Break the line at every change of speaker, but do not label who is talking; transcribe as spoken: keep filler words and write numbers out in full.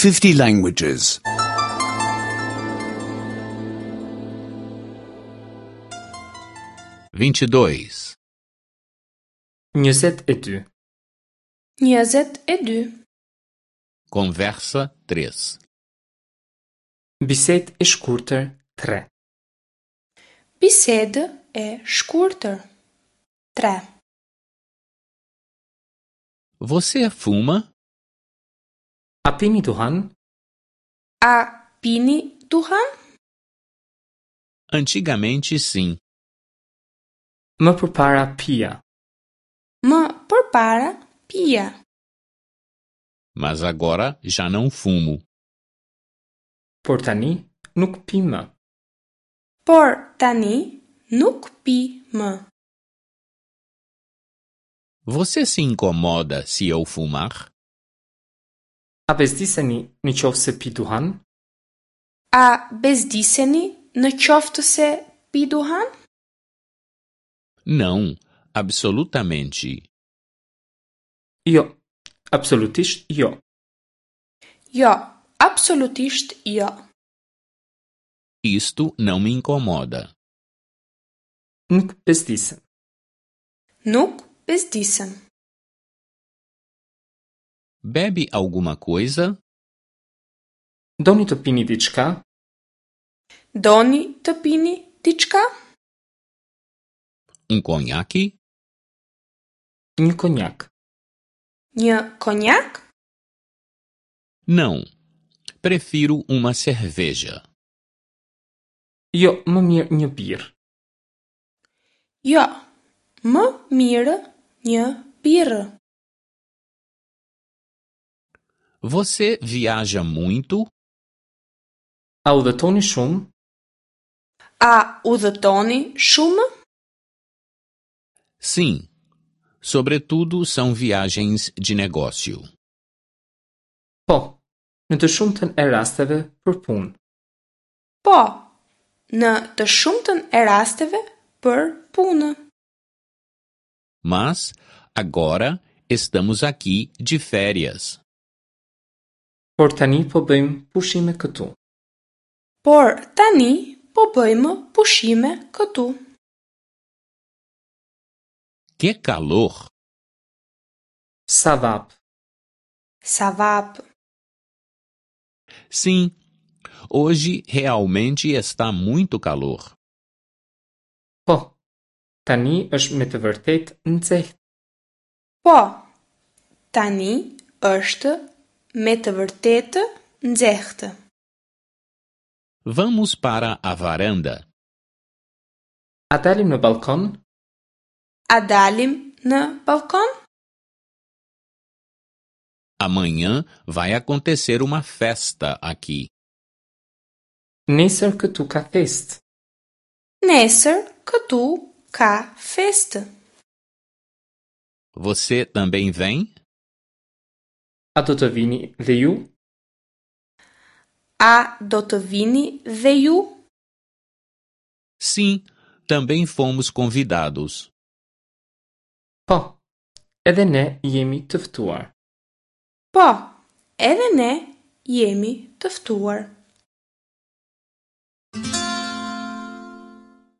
fifty languages.
vinte e dois,
Njëzet e dy.
Njëzet e dy.
Conversa três.
Bisedë e shkurtër tre.
Bisedë e shkurtër. Tre.
Você fuma?
A pini duhan?
A pini duhan?
Antigamente sim.
Më përpara pija.
Më përpara pija.
Mas agora já não fumo.
Por tani nuk pi më.
Por tani nuk pi më.
Você se incomoda se eu fumar?
A bezdiseni në qoftë se pi duhan?
A bezdiseni në qoftë se pi duhan?
Não, absolutamente.
Jo, absolutisht jo.
Jo, absolutisht jo.
Isto não me incomoda.
Nuk bezdisem.
Nuk bezdisem.
Bebe alguma coisa?
Doni të pini diçka?
Doni të pini diçka?
Um conhaque?
Një konjak.
Një konjak?
Não. Prefiro uma cerveja.
Jo, më mirë një birrë.
Jo, më mirë një birrë.
Você viaja muito?
A udhëtoni shumë?
A udhëtoni shumë?
Sim. Sobretudo são viagens de negócio.
Po, në të shumtën e rasteve për punë.
Po, në të shumtën e rasteve për punë.
Mas agora estamos aqui de férias.
Por tani po bëjmë pushime këtu.
Por tani po bëjmë pushime këtu.
Que calor!
Sa vapë.
Sa vapë.
Sim, hoje realmente está muito calor.
Po, tani është me të vërtetë nxehtë.
Po, tani është me të vërtetë nxehtë.
Vamos para a varanda.
A dalim në balkon?
A dalim në balkon?
Amanhã vai acontecer uma festa aqui.
Nesër këtu ka festë.
Nesër këtu ka festë.
Você também vem?
A do të vini dhe ju?
A do të vini dhe ju?
Sim, também fomos convidados.
Po, edhe ne jemi të ftuar.
Po, edhe ne jemi të ftuar.